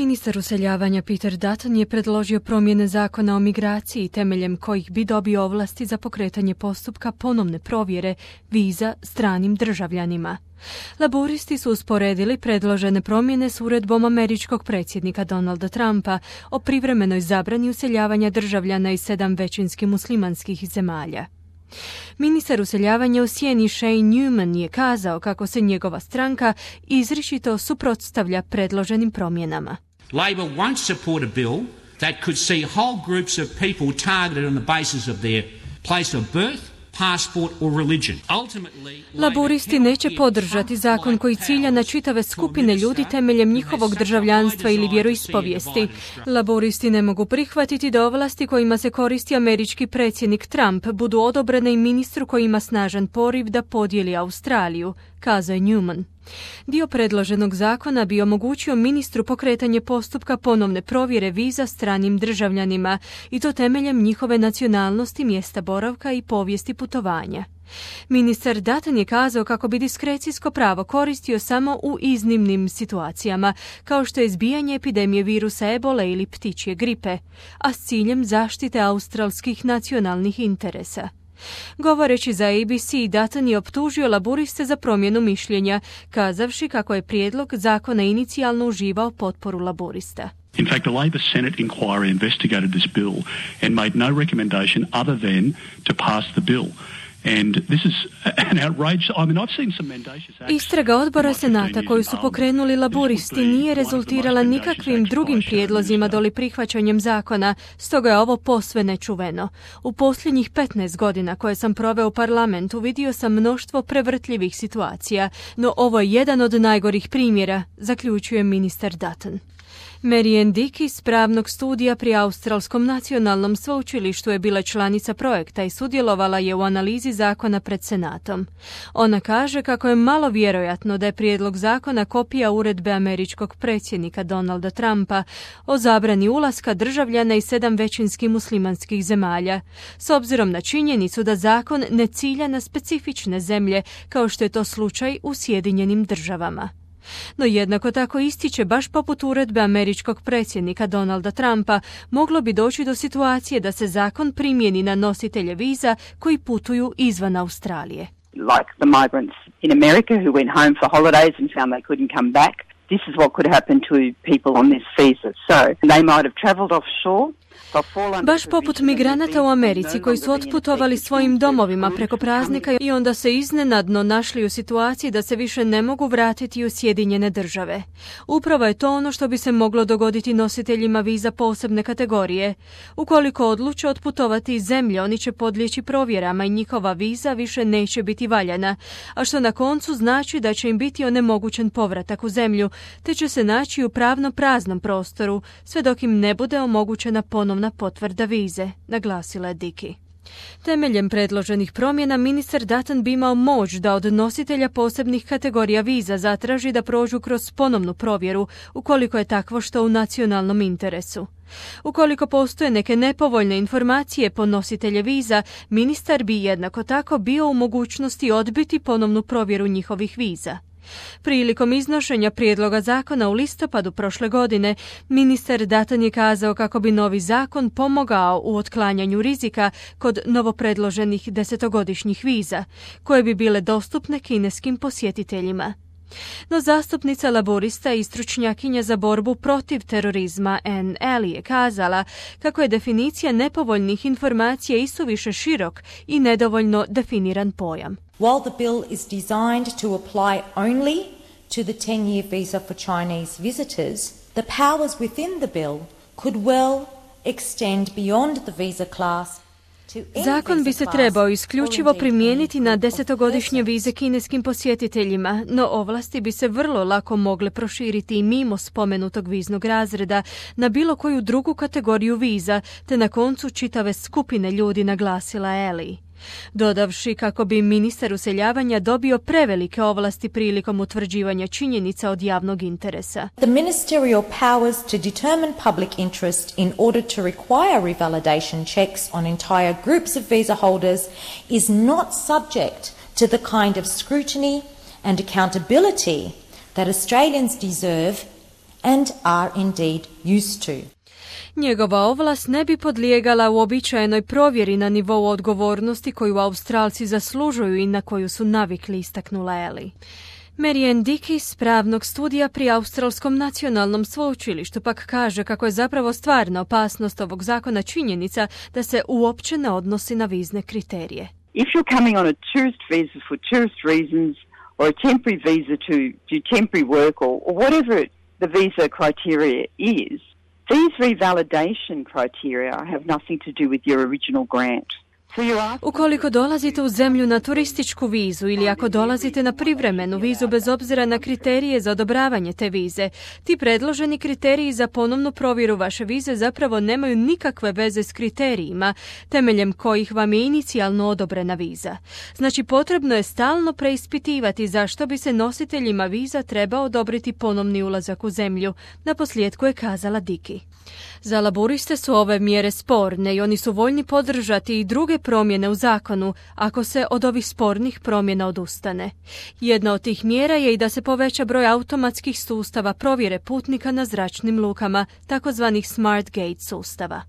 Ministar useljavanja Peter Dutton je predložio promjene zakona o migraciji temeljem kojih bi dobio ovlasti za pokretanje postupka ponovne provjere viza stranim državljanima. Laburisti su usporedili predložene promjene s uredbom američkog predsjednika Donalda Trumpa o privremenoj zabrani useljavanja državljana iz 7 većinski muslimanskih zemalja. Ministar useljavanja u sjeni Shane Newman je kazao kako se njegova stranka izričito suprotstavlja predloženim promjenama. Labor won't support a bill that could see whole groups of people targeted on the basis of their place of birth, passport or religion. Laburisti neće podržati zakon koji cilja na čitave skupine ljudi temeljem njihovog državljanstva ili vjeroispovijesti. Laburisti ne mogu prihvatiti da ovlasti kojima se koristi američki predsjednik Trump budu odobrene i ministru koji ima snažan poriv da podijeli Australiju, kazao je Newman. Dio predloženog zakona bi omogućio ministru pokretanje postupka ponovne provjere viza stranim državljanima i to temeljem njihove nacionalnosti, mjesta boravka i povijesti putovanja. Ministar Dutton je kazao kako bi diskrecijsko pravo koristio samo u iznimnim situacijama, kao što je izbijanje epidemije virusa ebole ili ptičje gripe, a s ciljem zaštite australskih nacionalnih interesa. Govoreći za ABC, Dutton je optužio laburiste za promjenu mišljenja, kazavši kako je prijedlog zakona inicijalno uživao potporu laburista. In fact, the Labor Senate inquiry investigated this bill and made no recommendation other than to pass the bill. And this is an outrage. I mean, I've seen some mendacious acts. Istraga odbora Senata koju su pokrenuli laburisti nije rezultirala nikakvim drugim prijedlozima doli prihvaćanjem zakona, stoga je ovo posve nečuveno. U posljednjih 15 godina koje sam proveo u parlamentu vidio sam mnoštvo prevrtljivih situacija, no ovo je jedan od najgorih primjera, zaključuje ministar Dutton. Marianne Dick iz pravnog studija pri Australskom nacionalnom sveučilištu je bila članica projekta i sudjelovala je u analizi zakona pred Senatom. Ona kaže kako je malo vjerojatno da je prijedlog zakona kopija uredbe američkog predsjednika Donalda Trumpa o zabrani ulaska državljana iz 7 većinski muslimanskih zemalja, s obzirom na činjenicu da zakon ne cilja na specifične zemlje kao što je to slučaj u Sjedinjenim državama. No jednako tako ističe, baš poput uredbe američkog predsjednika Donalda Trumpa, moglo bi doći do situacije da se zakon primijeni na nositelje viza koji putuju izvan Australije. Like the migrants in America who went home for holidays and found they couldn't come back. This is what could happen to people on this visa. So they might have traveled offshore. Baš poput migranata u Americi koji su otputovali svojim domovima preko praznika i onda se iznenadno našli u situaciji da se više ne mogu vratiti u Sjedinjene države. Upravo je to ono što bi se moglo dogoditi nositeljima viza posebne kategorije. Ukoliko odluče otputovati iz zemlje, oni će podlijeći provjerama i njihova viza više neće biti valjana, a što na koncu znači da će im biti onemogućen povratak u zemlju, te će se naći u pravno praznom prostoru, sve dok im ne bude omogućena ponovna potvrda vize, naglasila je Dickey. Temeljem predloženih promjena ministar Dutton bi imao moć da od nositelja posebnih kategorija viza zatraži da prođu kroz ponovnu provjeru ukoliko je takvo što u nacionalnom interesu. Ukoliko postoje neke nepovoljne informacije po nositelje viza, ministar bi jednako tako bio u mogućnosti odbiti ponovnu provjeru njihovih viza. Prilikom iznošenja prijedloga zakona u listopadu prošle godine, ministar Dutton je kazao kako bi novi zakon pomogao u otklanjanju rizika kod novopredloženih 10-godišnjih viza, koje bi bile dostupne kineskim posjetiteljima. No zastupnica laborista i stručnjakinja za borbu protiv terorizma Anne Alley je kazala kako je definicija nepovoljnih informacija isuviše širok i nedovoljno definiran pojam. While the bill is designed to apply only to the 10-year visa for Chinese visitors, the powers within the bill could well extend beyond the visa class. Zakon bi se trebao isključivo primijeniti na 10-godišnje vize kineskim posjetiteljima, no ovlasti bi se vrlo lako mogle proširiti i mimo spomenutog viznog razreda na bilo koju drugu kategoriju viza, te na koncu čitave skupine ljudi, naglasila Alley. Dodavši kako bi ministar useljavanja dobio prevelike ovlasti prilikom utvrđivanja činjenica od javnog interesa. The ministerial powers to determine public interest in order to require revalidation checks on entire groups of visa holders is not subject to the kind of scrutiny and accountability that Australians deserve and are indeed used to. Njegova ovlast ne bi podlijegala uobičajenoj provjeri na nivou odgovornosti koju Australci zaslužuju i na koju su navikli, istaknula Ellie. Marianne Dickey s pravnog studija pri Australskom nacionalnom sveučilištu pak kaže kako je zapravo stvarna opasnost ovog zakona činjenica da se uopće ne odnosi na vizne kriterije. If you're coming on a tourist visa for tourist reasons or a temporary visa to do temporary work or whatever the visa criteria is, these revalidation criteria have nothing to do with your original grant. Ukoliko dolazite u zemlju na turističku vizu ili ako dolazite na privremenu vizu bez obzira na kriterije za odobravanje te vize, ti predloženi kriteriji za ponovnu provjeru vaše vize zapravo nemaju nikakve veze s kriterijima temeljem kojih vam je inicijalno odobrena viza. Znači potrebno je stalno preispitivati zašto bi se nositeljima viza trebao odobriti ponovni ulazak u zemlju, naposljetku je kazala Dickey. Za laburiste su ove mjere sporne i oni su voljni podržati i druge promjene u zakonu ako se od ovih spornih promjena odustane. Jedna od tih mjera je i da se poveća broj automatskih sustava provjere putnika na zračnim lukama, takozvanih Smart Gate sustava.